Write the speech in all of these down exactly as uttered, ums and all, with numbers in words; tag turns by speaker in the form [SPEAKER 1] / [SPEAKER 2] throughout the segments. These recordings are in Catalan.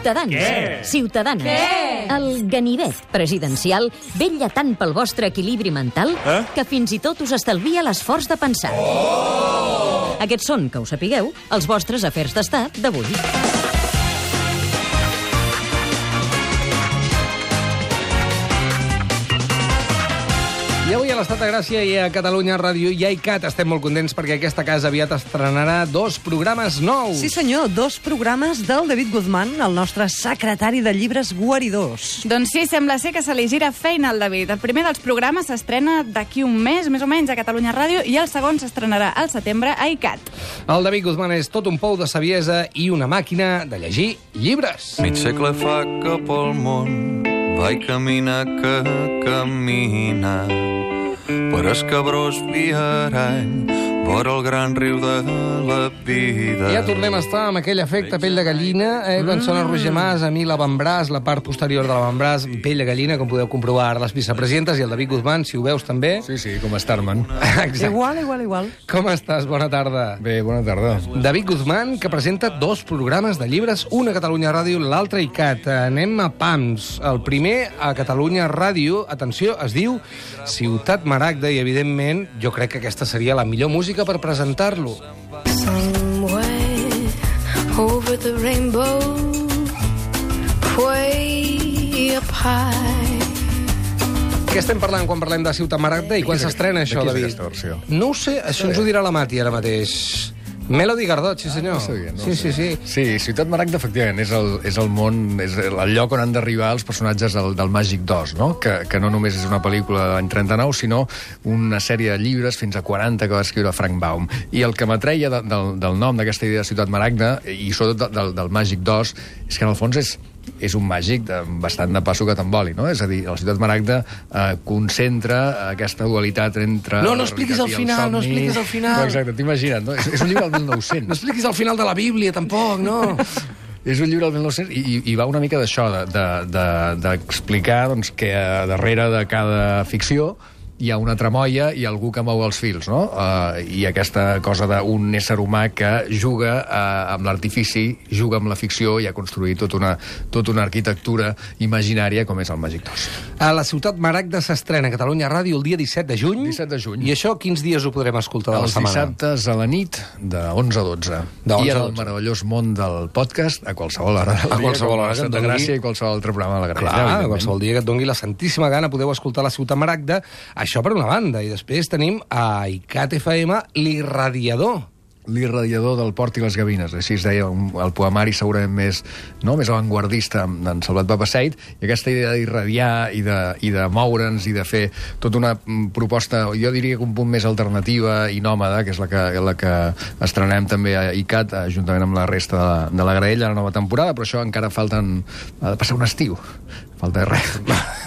[SPEAKER 1] Ciutadans,
[SPEAKER 2] Què?
[SPEAKER 1] ciutadanes,
[SPEAKER 2] Què?
[SPEAKER 1] el ganivet presidencial vetlla tant pel vostre equilibri mental
[SPEAKER 2] Eh?
[SPEAKER 1] que fins i tot us estalvia l'esforç de pensar. Oh! Aquests són, que ho sapigueu, els vostres afers d'estat d'avui.
[SPEAKER 3] I avui a l'Estat de Gràcia i a Catalunya Ràdio i a ICAT estem molt contents perquè aquesta casa aviat estrenarà dos programes nous.
[SPEAKER 4] Sí, senyor, dos programes del David Guzmán, el nostre secretari de llibres guaridors.
[SPEAKER 5] Doncs sí, sembla ser que se li gira feina al David. El primer dels programes s'estrena d'aquí un mes, més o menys, a Catalunya Ràdio, i el segon s'estrenarà al setembre a ICAT.
[SPEAKER 3] El David Guzmán és tot un pou de saviesa i una màquina de llegir llibres.
[SPEAKER 6] Mig segle fa que pel món vaig caminar que camina per escabrós viarany vora el gran riu de la vida.
[SPEAKER 3] Ja tornem a estar amb aquell efecte pell de gallina, eh, quan sona Roger Mas, a mi l'avantbraç, la part posterior de l'avantbraç, pell de gallina, com podeu comprovar ara les vicepresidentes, i el David Guzmán, si ho veus també.
[SPEAKER 7] Sí, sí, com Starman.
[SPEAKER 3] Exacte.
[SPEAKER 4] Igual, igual, igual.
[SPEAKER 3] Com estàs? Bona tarda.
[SPEAKER 7] Bé, bona tarda.
[SPEAKER 3] David Guzmán, que presenta dos programes de llibres, un a Catalunya Ràdio, l'altre a ICAT. Anem a pams. El primer a Catalunya Ràdio, atenció, es diu Ciutat Maragda, i evidentment jo crec que aquesta seria la millor música per presentar-lo.
[SPEAKER 8] Somewhere over the rainbow, way up high.
[SPEAKER 3] Què estem parlant quan parlem de Ciutat Maragda i quan s'estrena això,
[SPEAKER 7] de qui és
[SPEAKER 3] David?
[SPEAKER 7] aquesta versió?
[SPEAKER 3] No ho sé, això ens ho dirà la Mati ara mateix. Melody Gardot, sí senyor.
[SPEAKER 7] No sabia, no
[SPEAKER 3] sí, sí, sí.
[SPEAKER 7] Sí, Ciutat Maragda, efectivament, és el, és el món, és el lloc on han d'arribar els personatges del, del Màgic dos, no? Que, que no només és una pel·lícula de l'any trenta-nou, sinó una sèrie de llibres, fins a quaranta, que va escriure Frank Baum. I el que m'atreia de, del, del nom d'aquesta idea de Ciutat Maragda, i sobretot del, del Màgic dos, és que en el fons és és un màgic de, bastant de passo que t'emboli, no? És a dir, la Ciutat Maragda eh, concentra aquesta dualitat entre...
[SPEAKER 3] No, no expliquis el final,
[SPEAKER 7] somni.
[SPEAKER 3] no expliquis el final.
[SPEAKER 7] No, exacte, t'imagina't, no? És, és un llibre del mil nou-cents.
[SPEAKER 3] No expliquis el final de la Bíblia, tampoc, no?
[SPEAKER 7] És un llibre del mil nou-cents i, i va una mica d'això, d'explicar de, de, de doncs, que a darrere de cada ficció hi ha una tramoia i algú que mou els fils, no? Uh, I aquesta cosa d'un ésser humà que juga uh, amb l'artifici, juga amb la ficció i ha construït tota una, tota una arquitectura imaginària com és el Màgic dos.
[SPEAKER 3] A la Ciutat Maragda s'estrena a Catalunya Ràdio el dia disset de juny.
[SPEAKER 7] disset de juny.
[SPEAKER 3] I això quins dies ho podrem escoltar de la
[SPEAKER 7] Els
[SPEAKER 3] setmana?
[SPEAKER 7] dissabtes a la nit, de onze a dotze.
[SPEAKER 3] De onze
[SPEAKER 7] I
[SPEAKER 3] a
[SPEAKER 7] en el
[SPEAKER 3] dotze.
[SPEAKER 7] meravellós món del podcast, a qualsevol hora del
[SPEAKER 3] A
[SPEAKER 7] dia,
[SPEAKER 3] qualsevol
[SPEAKER 7] com
[SPEAKER 3] hora que et
[SPEAKER 7] Santa
[SPEAKER 3] doni.
[SPEAKER 7] Gràcia i qualsevol altre programa de la Gràcia.
[SPEAKER 3] Clar,
[SPEAKER 7] evidentment.
[SPEAKER 3] qualsevol dia que et doni la santíssima gana podeu escoltar la Ciutat Maragda. Això per una banda. I després tenim a ICAT F M l'Irradiador.
[SPEAKER 7] L'irradiador del Port i les Gavines, així es deia un, el poemari segurament més, no, més avantguardista d'en Salvat Papasseit, i aquesta idea d'irradiar i de, i de moure'ns i de fer tota una mm, proposta, jo diria que un punt més alternativa i nòmada, que és la que, la que estrenem també a ICAT, eh, juntament amb la resta de la, de la graella, la nova temporada, però això encara falten... ha de passar un estiu. Falta res.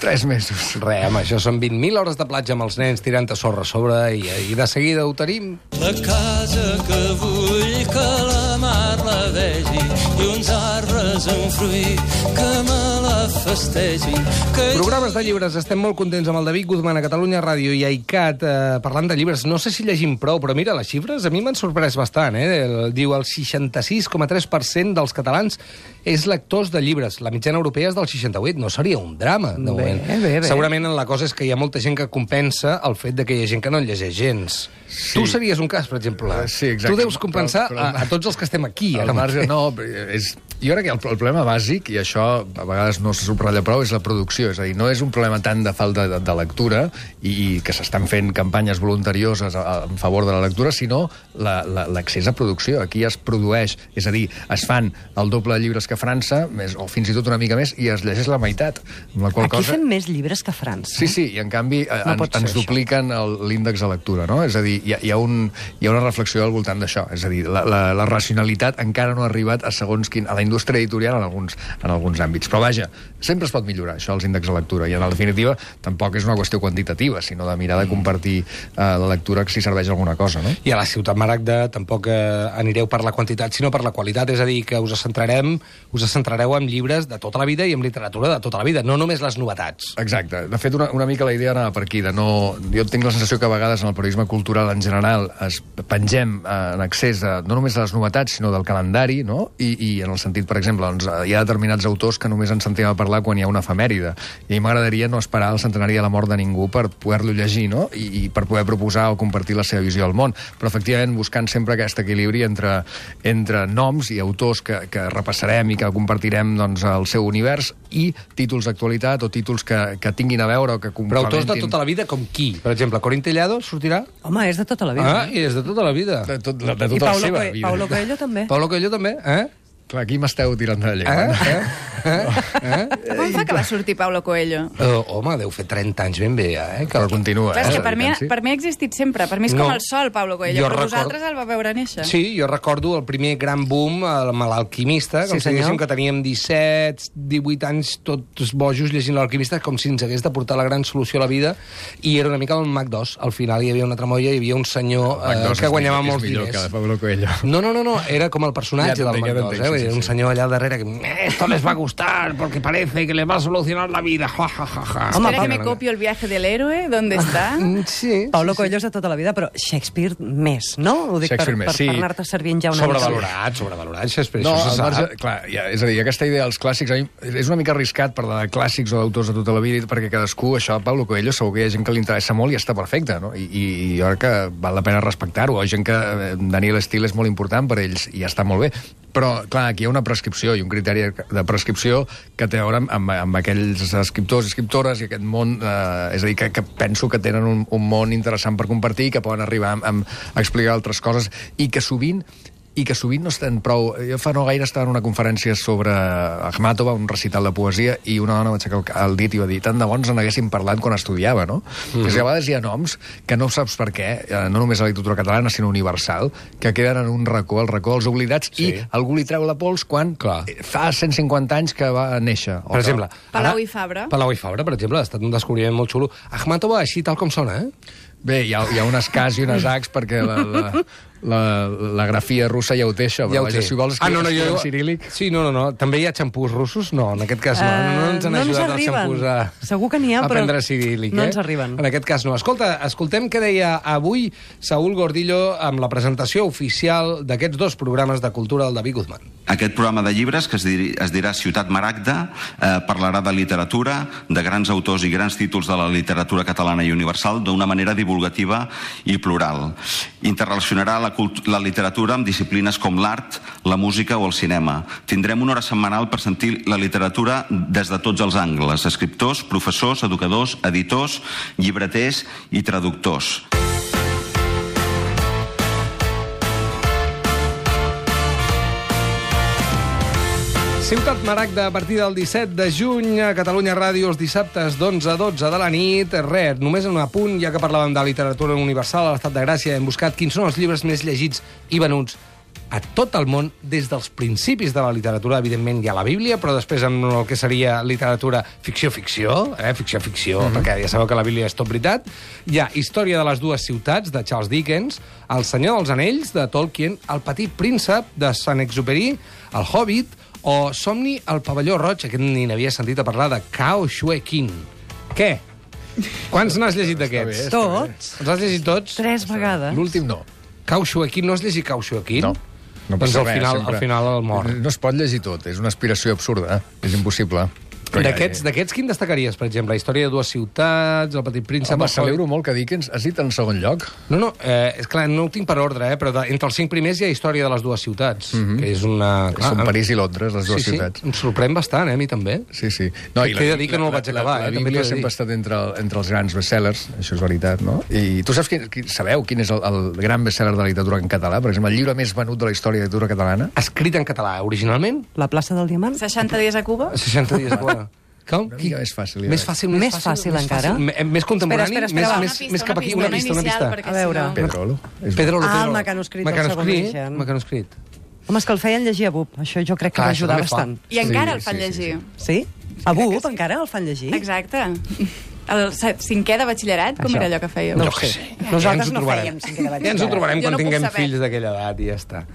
[SPEAKER 7] Tres mesos.
[SPEAKER 3] Re, home, això són vint mil hores de platja amb els nens tirant a sorra a sobre i, i de seguida ho tenim.
[SPEAKER 9] La casa que vull que la mar la vegi i uns arbres en fruit que me la festegin. Que...
[SPEAKER 3] Programes de llibres. Estem molt contents amb el David Guzmán a Catalunya Ràdio i a ICAT eh, parlant de llibres. No sé si llegim prou, però mira, les xifres a mi m'han sorprès bastant. Eh? El, diu el seixanta-sis coma tres per cent dels catalans és lectors de llibres. La mitjana europea és del seixanta-vuit. No seria un drama, de moment.
[SPEAKER 4] Bé, bé, bé.
[SPEAKER 3] Segurament la cosa és que hi ha molta gent que compensa el fet de que hi ha gent que no en llegeix gens.
[SPEAKER 7] Sí.
[SPEAKER 3] Tu series un cas, per exemple.
[SPEAKER 7] Sí, exacte.
[SPEAKER 3] Tu deus compensar
[SPEAKER 7] Però- però-
[SPEAKER 3] a, a tots els que estem aquí.
[SPEAKER 7] Al
[SPEAKER 3] ara
[SPEAKER 7] marge,
[SPEAKER 3] mateix.
[SPEAKER 7] no, és, jo crec que el, el problema bàsic, i això a vegades no se subratlla prou, és la producció. És a dir, no és un problema tant de falta de, de lectura i, i que s'estan fent campanyes voluntarioses a, a, en favor de la lectura, sinó l'accés la, la, a producció. Aquí es produeix, és a dir, es fan el doble de llibres que a França, més, o fins i tot una mica més, i es llegeix la meitat. Amb la qual
[SPEAKER 4] Aquí
[SPEAKER 7] cosa...
[SPEAKER 4] fem més llibres que a França.
[SPEAKER 7] Sí, sí, i en canvi eh,
[SPEAKER 4] No
[SPEAKER 7] ens,
[SPEAKER 4] pot ser
[SPEAKER 7] ens
[SPEAKER 4] això.
[SPEAKER 7] dupliquen l'índex de lectura, no? És a dir, hi ha, hi ha, un, hi ha una reflexió al voltant d'això. És a dir, la, la, la racionalitat encara no ha arribat a segons quin, a la indústria editorial en alguns, en alguns àmbits. Però vaja, sempre es pot millorar, això, els índexs de lectura. I en definitiva, tampoc és una qüestió quantitativa, sinó de mirar de compartir eh, la lectura si serveix alguna cosa, no?
[SPEAKER 3] I a la Ciutat Maragda tampoc eh, anireu per la quantitat, sinó per la qualitat. És a dir, que us centrarem, us centrareu en llibres de tota la vida i en literatura de tota la vida, no només les novetats.
[SPEAKER 7] Exacte. De fet, una, una mica la idea anava per aquí. De no... Jo tinc la sensació que a vegades en el periodisme cultural en general es pengem eh, en accés a, no només a les novetats, sinó del calendari, no? I, i en el sentit, per exemple, exemple, doncs, hi ha determinats autors que només en sentim a parlar quan hi ha una efemèride. I a mi m'agradaria no esperar el centenari de la mort de ningú per poder-lo llegir, no? I, i per poder proposar o compartir la seva visió del món. Però, efectivament, buscant sempre aquest equilibri entre, entre noms i autors que, que repassarem i que compartirem doncs, el seu univers i títols d'actualitat o títols que, que tinguin a veure o que
[SPEAKER 3] Però autors
[SPEAKER 7] complementin...
[SPEAKER 3] de tota la vida com qui? Per exemple, Corín Tellado sortirà?
[SPEAKER 4] Home, és de tota la vida.
[SPEAKER 3] Ah, i és de tota la vida.
[SPEAKER 7] De, tot, de, de
[SPEAKER 4] I
[SPEAKER 7] tota la
[SPEAKER 4] Paulo,
[SPEAKER 7] seva
[SPEAKER 4] Coe-
[SPEAKER 7] vida.
[SPEAKER 4] Paulo Coelho també.
[SPEAKER 3] Paulo Coelho també, eh?
[SPEAKER 7] Clar, aquí m'esteu tirant de la
[SPEAKER 3] Eh?
[SPEAKER 7] llengua.
[SPEAKER 3] Eh? Eh? eh?
[SPEAKER 5] Com fa que va sortir Paulo Coelho?
[SPEAKER 3] Uh, home, deu fer trenta anys ben bé, eh? Que...
[SPEAKER 7] Però continua,
[SPEAKER 5] Clar,
[SPEAKER 7] eh?
[SPEAKER 5] és que per mi,
[SPEAKER 7] Sí.
[SPEAKER 5] per mi ha existit sempre. Per mi és com
[SPEAKER 3] No.
[SPEAKER 5] el sol, Paulo Coelho.
[SPEAKER 3] Jo
[SPEAKER 5] Però
[SPEAKER 3] record-
[SPEAKER 5] vosaltres el va veure néixer.
[SPEAKER 3] Sí, jo recordo el primer gran boom amb l'Alquimista, com
[SPEAKER 4] Sí,
[SPEAKER 3] si diguéssim
[SPEAKER 4] senyor.
[SPEAKER 3] que teníem disset, divuit anys tots bojos llegint l'Alquimista, com si ens hagués de portar la gran solució a la vida, i era una mica el Mac dos. Al final hi havia una tramoia, hi havia un senyor
[SPEAKER 7] Mac
[SPEAKER 3] eh,
[SPEAKER 7] dos
[SPEAKER 3] que
[SPEAKER 7] és
[SPEAKER 3] guanyava
[SPEAKER 7] millor-
[SPEAKER 3] molts
[SPEAKER 7] és millor
[SPEAKER 3] diners.
[SPEAKER 7] que de Paulo Coelho.
[SPEAKER 3] No, no, no, no, era com el personatge
[SPEAKER 7] Ja
[SPEAKER 3] del
[SPEAKER 7] t'entenc,
[SPEAKER 3] Mac
[SPEAKER 7] ja
[SPEAKER 3] dos,
[SPEAKER 7] t'entenc,
[SPEAKER 3] eh?
[SPEAKER 7] sí,
[SPEAKER 3] Era
[SPEAKER 7] sí,
[SPEAKER 3] un
[SPEAKER 7] sí.
[SPEAKER 3] senyor allà al darrere que esto les va a gustar porque parece que les va a solucionar la vida. Ja, ja, ja, ja.
[SPEAKER 4] Home,
[SPEAKER 5] Espera que
[SPEAKER 4] Paulo-
[SPEAKER 5] me copio el viaje del héroe. ¿Dónde está?
[SPEAKER 3] Mm, Sí.
[SPEAKER 4] Paulo Coelho és de tota la vida, però Shakespeare més, no? Ho dic per,
[SPEAKER 7] Shakespeare més,
[SPEAKER 4] per,
[SPEAKER 7] sí.
[SPEAKER 4] per anar-te servint ja una mica.
[SPEAKER 3] Sobrevalorat, sobrevalorat, Shakespeare,
[SPEAKER 7] No,
[SPEAKER 3] això
[SPEAKER 7] al
[SPEAKER 3] se sap.
[SPEAKER 7] marge, clar, ja, és a dir, aquesta idea dels clàssics a mi, és una mica arriscat parlar de clàssics o d'autors de tota la vida, perquè cadascú, això, Paulo Coelho, segur que hi ha gent que li interessa molt i està perfecte, no? I, i, i jo crec que val la pena respectar-ho. Hi ha gent que eh, Daniel Steele és molt important per ells i ja està molt bé. Però, clar, aquí hi ha una prescripció i un criteri de prescripció que té a veure amb, amb, amb aquells escriptors i escriptores i aquest món, eh, és a dir, que, que penso que tenen un, un món interessant per compartir, que poden arribar amb, amb, a explicar altres coses i que sovint i que sovint no estan prou... Jo fa no gaire estava en una conferència sobre Akhmatova, un recital de poesia, i una dona va aixecar el, el dit i va dir tant de bons en haguéssim parlat quan estudiava, no? Mm. És que a vegades hi ha noms que no saps per què, eh, no només a la literatura catalana, sinó universal, que queden en un racó, el racó dels oblidats,
[SPEAKER 3] Sí.
[SPEAKER 7] i algú li treu la pols quan
[SPEAKER 3] Clar.
[SPEAKER 7] fa cent cinquanta anys que va néixer. O
[SPEAKER 3] Per
[SPEAKER 7] que-
[SPEAKER 3] exemple...
[SPEAKER 5] Palau
[SPEAKER 3] ara-
[SPEAKER 5] i Fabra.
[SPEAKER 3] Palau i Fabra, per exemple, ha estat un descobriment molt xulo. Akhmatova, així tal com sona, eh?
[SPEAKER 7] Bé, hi ha, hi ha unes cas i unes acs perquè la, la, la, la grafia russa ja ho té, això.
[SPEAKER 3] Ja ho
[SPEAKER 7] Vaja,
[SPEAKER 3] té.
[SPEAKER 7] si vols
[SPEAKER 3] Ah, no,
[SPEAKER 7] escriure,
[SPEAKER 3] no,
[SPEAKER 7] escriure
[SPEAKER 3] jo...
[SPEAKER 7] en ciríl·lic...
[SPEAKER 3] Sí, no, no, no. També hi ha xampús russos? No, en aquest cas no.
[SPEAKER 4] Eh,
[SPEAKER 3] no ens han
[SPEAKER 4] no ens
[SPEAKER 3] ajudat els
[SPEAKER 4] arriben.
[SPEAKER 3] xampús a...
[SPEAKER 4] Segur que n'hi ha,
[SPEAKER 3] a
[SPEAKER 4] però
[SPEAKER 3] prendre ciríl·lic,
[SPEAKER 4] no
[SPEAKER 3] eh?
[SPEAKER 4] ens arriben.
[SPEAKER 3] En aquest cas no. Escolta, escoltem què deia avui Saúl Gordillo amb la presentació oficial d'aquests dos programes de cultura del David Guzmán.
[SPEAKER 2] Aquest programa de llibres, que es, dir, es dirà Ciutat Maragda, eh, parlarà de literatura, de grans autors i grans títols de la literatura catalana i universal d'una manera divulgativa i plural. Interrelacionarà la, la literatura amb disciplines com l'art, la música o el cinema. Tindrem una hora setmanal per sentir la literatura des de tots els angles: escriptors, professors, educadors, editors, llibreters i traductors.
[SPEAKER 3] Ciutat Maragda, a partir del disset de juny, a Catalunya Ràdio, els dissabtes d'onze a dotze de la nit. Res, només en un apunt, ja que parlàvem de literatura universal a l'Estat de Gràcia, hem buscat quins són els llibres més llegits i venuts a tot el món, des dels principis de la literatura. Evidentment hi ha la Bíblia, però després amb el que seria literatura ficció-ficció, eh? ficció-ficció, mm-hmm. perquè ja sabeu que la Bíblia és tot veritat. Hi ha Història de les dues ciutats, de Charles Dickens, El senyor dels anells, de Tolkien, El petit príncep, de Saint-Exupéry, El Hobbit, o Somni al pavelló roig, aquest ni n'havia sentit a parlar, de Cao Xue Qin. Què? Quants n'has llegit d'aquests?
[SPEAKER 4] Tots.
[SPEAKER 3] Els has llegit tots?
[SPEAKER 4] Tres vegades.
[SPEAKER 7] L'últim no.
[SPEAKER 3] Cao Xue Qin, no has llegit Cao Xue Qin?
[SPEAKER 7] No. No
[SPEAKER 3] Doncs
[SPEAKER 7] passa
[SPEAKER 3] al
[SPEAKER 7] res,
[SPEAKER 3] final,
[SPEAKER 7] sempre.
[SPEAKER 3] al final el mor.
[SPEAKER 7] No es pot llegir tot, és una aspiració absurda, eh? És impossible. Però ja-
[SPEAKER 3] D'aquests, d'aquests, quin destacaries, per exemple? La història de dues ciutats, El petit príncep...
[SPEAKER 7] Home,
[SPEAKER 3] el
[SPEAKER 7] celebro
[SPEAKER 3] Hobbit?
[SPEAKER 7] molt que Dickens has dit en segon lloc.
[SPEAKER 3] No, no, eh, és clar, no ho tinc per ordre, eh, però de, entre els cinc primers hi ha Història de les dues ciutats,
[SPEAKER 7] Mhm.
[SPEAKER 3] que és una...
[SPEAKER 7] Que són París i Londres, les dues
[SPEAKER 3] sí,
[SPEAKER 7] ciutats.
[SPEAKER 3] Sí, em sorprèn bastant, eh, a mi també.
[SPEAKER 7] Sí, sí. No,
[SPEAKER 3] T'he de dir que no el vaig acabar,
[SPEAKER 7] la,
[SPEAKER 3] eh,
[SPEAKER 7] la,
[SPEAKER 3] també
[SPEAKER 7] Bíblia
[SPEAKER 3] t'ho he de
[SPEAKER 7] sempre
[SPEAKER 3] dir.
[SPEAKER 7] ha estat entre, entre els grans bestsellers, això és veritat, no? I tu saps quin, quin, sabeu quin és el, el gran bestseller de la literatura en català? Per exemple, el llibre més venut de la història de la literatura catalana?
[SPEAKER 3] Escrit en català, originalment?
[SPEAKER 4] La plaça del Diamant?
[SPEAKER 5] seixanta dies a Cuba?
[SPEAKER 3] seixanta dies a Cuba. Com?
[SPEAKER 7] Una mica més fàcil. ja
[SPEAKER 3] Més
[SPEAKER 7] veig.
[SPEAKER 3] fàcil,
[SPEAKER 4] Més fàcil, encara?
[SPEAKER 3] Més, fàcil, més contemporani,
[SPEAKER 4] Espera, espera, espera,
[SPEAKER 3] més,
[SPEAKER 4] va.
[SPEAKER 3] més, més cap aquí, una pista, una pista.
[SPEAKER 5] Perquè
[SPEAKER 4] A veure.
[SPEAKER 5] si no...
[SPEAKER 7] Pedrolo. És
[SPEAKER 3] Pedro
[SPEAKER 4] Ah,
[SPEAKER 3] Pedro.
[SPEAKER 4] el mecanoscrit del segon
[SPEAKER 3] Mecanoscrit,
[SPEAKER 4] origen.
[SPEAKER 3] mecanoscrit.
[SPEAKER 4] Home, és que el feien llegir a B U P. Això jo crec que
[SPEAKER 3] Clar,
[SPEAKER 4] va
[SPEAKER 3] això
[SPEAKER 4] ajudar
[SPEAKER 3] també fa.
[SPEAKER 4] bastant.
[SPEAKER 5] I encara
[SPEAKER 7] Sí,
[SPEAKER 5] el fan
[SPEAKER 7] sí, sí,
[SPEAKER 5] llegir.
[SPEAKER 4] Sí? A B U
[SPEAKER 5] crec
[SPEAKER 4] P
[SPEAKER 5] que sí.
[SPEAKER 4] encara el fan llegir?
[SPEAKER 5] Exacte. El se- cinquè de batxillerat, com
[SPEAKER 4] Això.
[SPEAKER 5] era allò que fèieu?
[SPEAKER 4] No
[SPEAKER 3] Jo
[SPEAKER 4] ho
[SPEAKER 3] què
[SPEAKER 4] sé.
[SPEAKER 3] sé.
[SPEAKER 4] Nosaltres
[SPEAKER 3] Ja ens ho
[SPEAKER 4] no
[SPEAKER 3] trobarem.
[SPEAKER 4] fèiem cinquè de
[SPEAKER 3] Ja ens ho
[SPEAKER 4] batxillerat.
[SPEAKER 3] trobarem
[SPEAKER 5] Jo
[SPEAKER 3] quan
[SPEAKER 5] no puc
[SPEAKER 3] tinguem
[SPEAKER 5] saber.
[SPEAKER 3] fills d'aquella edat i ja està.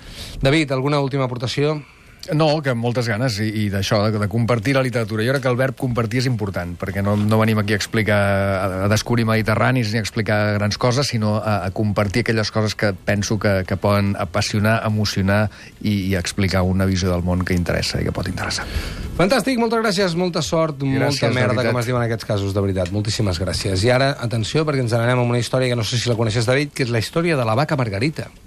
[SPEAKER 3] David, alguna última aportació?
[SPEAKER 7] No, que amb moltes ganes, i, i d'això, de, de compartir la literatura. Jo crec que el verb compartir és important, perquè no, no venim aquí a explicar, a, a descobrir mediterranis ni a explicar grans coses, sinó a, a compartir aquelles coses que penso que, que poden apassionar, emocionar i, i explicar una visió del món que interessa i que pot interessar.
[SPEAKER 3] Fantàstic, moltes gràcies, molta sort,
[SPEAKER 7] gràcies,
[SPEAKER 3] molta merda, com es diu en aquests casos, de veritat. Moltíssimes gràcies. I ara, atenció, perquè ens n'anem amb una història que no sé si la coneixes, David, que és la història de la vaca Margarita.